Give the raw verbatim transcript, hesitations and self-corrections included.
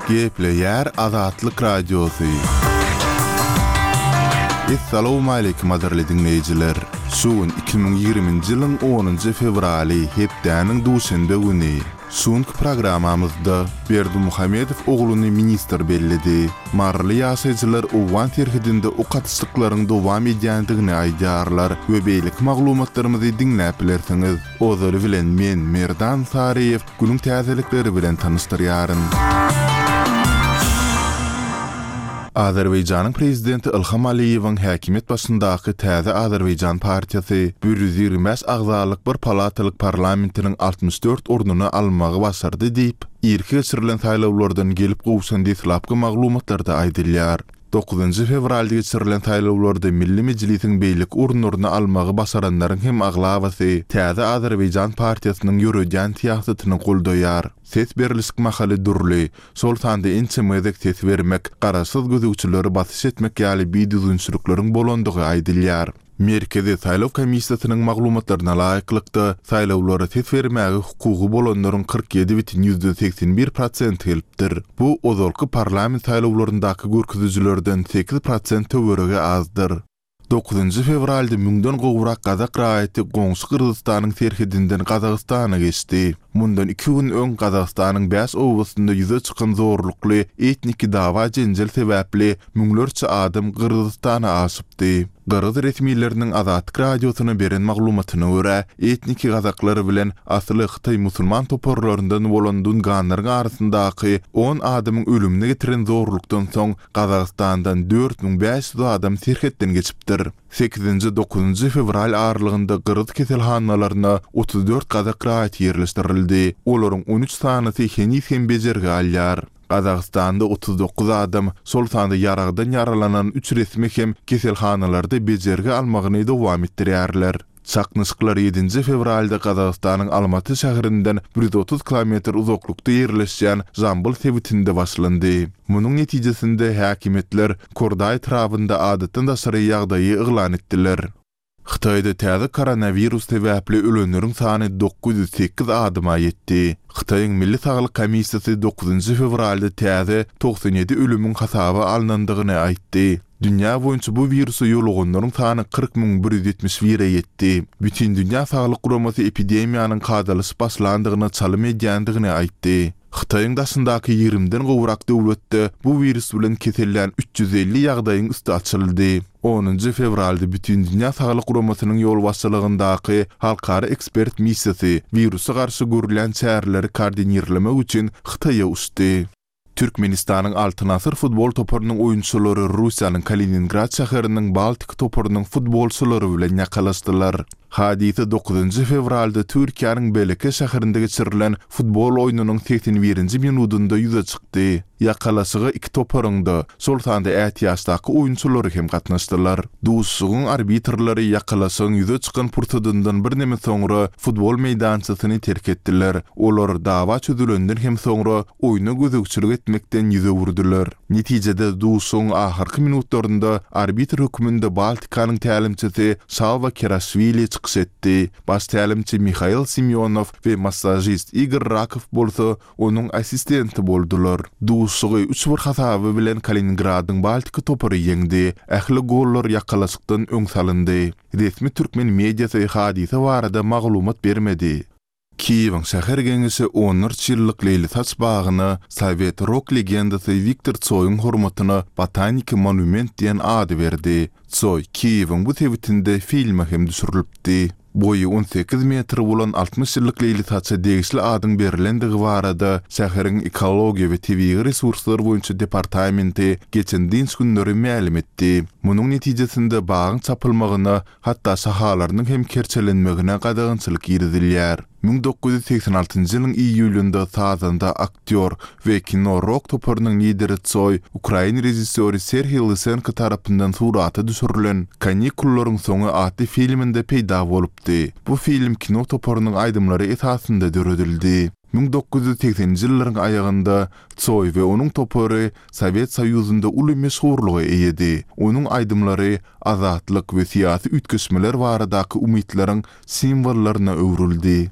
Gepleýär Azatlyk Radiosy. Essalawmaleýkim gadyrly diňleýjiler! Şu gün iki müň ýigriminji ýylyň onunjy fewraly, hepdäniň duşenbe güni. Şu günki programmamyzda Berdimuhamedow ogluny ministr belledi. Maryly ýaşaýjylar owgan serhedinde ok atyşlyklaryň dowam edýändigini aýdýarlar we beýleki maglumatlarymyzy diňläp bilersiňiz. Ozaly bilen men, Merdan Saryýew, günüň täzelikleri bilen tanyşdyrýaryn. Azerbaýjanyň prezidenti Ilham Aliýewiň häkimiýet başyndaky Täze Azerbaýjan partiýasy bir ýüz ýigrimi bäş agzalyk bir palatalyk parlamentiniň altmyş dört ornuny almagy başardy diýip, irki geçirilen saýlawlardan gelip gowşan deslapky maglumatlarda aýdylýar. Dokuzynjy fewralda geçirilen saýlawlarda Milli Mejlisiň beýleki orunlaryny almagy başaranlaryň hem aglabasy Täze Azerbaýjan partiýasynyň ýöredýän syýasatyny goldaýar. Ses berlişik mahaly dürli, şol sanda ençeme gezek ses bermek, garaşsyz gözegçilere basyş etmek ýaly bidüzgünçilikleriň bolandygy aýdylýar. Merkezi saýlaw komissiýasynyň maglumatlaryna laýyklykda, saýlawlara ses bermäge hukugy bolanlaryň kyrk ýedi bütin ýüzden segsen bir prosenti gelipdir. Bu ozalky parlament saýlawlaryndaky görkezijilerden sekiz prosent töweregi azdyr. Dokuzynjy fewralda müňden gowrak gazak raýaty goňşy Gyrgyzystanyň serhedinden Gazagystana geçdi. Mundan iki gün öň Gazagystanyň bäş obasynda ýüze çykan zorlukly etniki dawa-jenjel sebäpli müňlerçe adam Gyrgyzystana aşypdy. Gyrgyz resmileriniň Azatlyk Radiosyna beren maglumatyna görä, etniki gazaklar bilen asyly hytaý musulman toparlaryndan bolan dunganlaryň arasyndaky on adamyň ölümine getiren zorlukdan soň Gazagystandan dört müň bäş ýüz adam serhetden geçipdir. Sekizinji, dokuzynjy fewral aralygynda gyrgyz keselhanalaryna otuz dört gazak raýaty ýerleşdirildi. Olaryň on üç sanysy heniz hem bejergi alýar. Gazagystanda otuz dokuz adam, şol sanda ýaragdan ýaralanan üç resmi hem keselhanalarda bejergi almagyny dowam etdirýärler. Çaknyşyklar ýedinji fewralda Gazagystanyň Almaty şäherinden bir ýüz otuz kilometr uzaklykda ýerleşýän Žambyl sebitinde başlandy. Munuň netijesinde häkimiýetler Kordaý etrabynda adatdan daşary ýagdaýy yglan etdiler. Hytaýda täze koronawirus sebäpli ölenleriň sany dokuz ýüz sekiz adama ýetdi. Hytaýyň Milli saglyk komissiýasy dokuzynjy fewralda täze togsan ýedi ölümiň hasaba alnandygyny aýtdy. Dünýä boýunça bu wirusa ýoluganlaryň sany kyrk müň bir ýüz ýetmiş bire ýetdi. Bütindünýä saglyk guramasy epidemiýanyň kadalaşyp başlandygyna çalym edýändigini aýtdy. Hytaýyň daşyndaky ýigrimiden gowrak döwletde bu wirus bilen kesellän üç ýüz elli ýagdaýyň üsti açyldy. Onunjy fewralda Bütindünýä saglyk guramasynyň ýolbaşçylygyndaky halkara ekspert missiýasy wirusa garşy görülýän çäreleri koordinirlemek üçin Hytaýa uçdy. Türkmenistanyň Altyn asyr futbol toparynyň oýunçylary Russiýanyň Kaliningrad şäheriniň Baltik toparynyň futbolçylary bilen ýakalaşdylar. Hadysa dokuzynjy fewralda Türkiýäniň Beleke şäherinde geçirilen futbol oýnunyň segsen birinji minudynda ýüze çykdy. Ýakalaşyga iki toparyň-da, şol sanda ätiýaçdaky oýunçylary hem gatnaşdylar. Duşuşygyň arbitrleri ýakalaşygyň ýüze çykan pursadyndan birneme soňra futbol meýdançasyny terk etdiler. Olar dawa çözülenden hem soňra oýna gözegçilik etmekden ýüz öwürdiler. Netijede duşuşygyň ahyrky minutlarynda arbitr hökmünde Baltikanyň tälimçisi Şalwa Keraşwili çykyş etdi. Baş tälimçi Mihail Simýonow we massažist Igor Rakow bolsa onuň assistenti boldular. Duşuşygy üç bir hasaby bilen Kaliningradyň Baltika topary ýeňdi. Ähli gollar ýakalaşykdan öň salyndy. Resmi türkmen mediasy hadysa barada maglumat bermedi. Kiýewiň şäher geňeşi onlarça ýyllyk Leýlisaç bagyna sowet rok legendasy Wiktor Tsoýuň hormatyna Botaniki monument diýen ady berdi. Tsoý Kiýewiň bu sebitinde filme hem düşürilipdi. Boýy on sekiz metr bolan altmyş ýyllyk Leýlisaça degişli adyň berilendigi barada şäheriň ekologiýa we tebigy resurslar boýunça departamenti geçen dynç günleri mälim etdi. Munuň netijesinde bagyň çapylmagyna, hatda şahalarynyň hem kerçelenmegine gadagançylyk girizilýär. Müň dokuz ýüz segsen altynjy ýylyň iýulynda sazanda, aktýor we kino-rok toparynyň lideri Tsoý ukrain režissýory Serhiý Lysenko tarapyndan surata düşürilen Kanikullaryň soňy atly filminde peýda bolupdy. Bu film kino toparynyň aýdymlary esasynda döredildi. Müň dokuz ýüz segseninji ýyllaryň aýagynda Tsoý we onuň topary Sowet Soýuzynda uly meşhurlyga eýedi. Onuň aýdymlary azatlyk we syýasy üýtgeşmeler baradaky umytlaryň simwollaryna öwrüldi.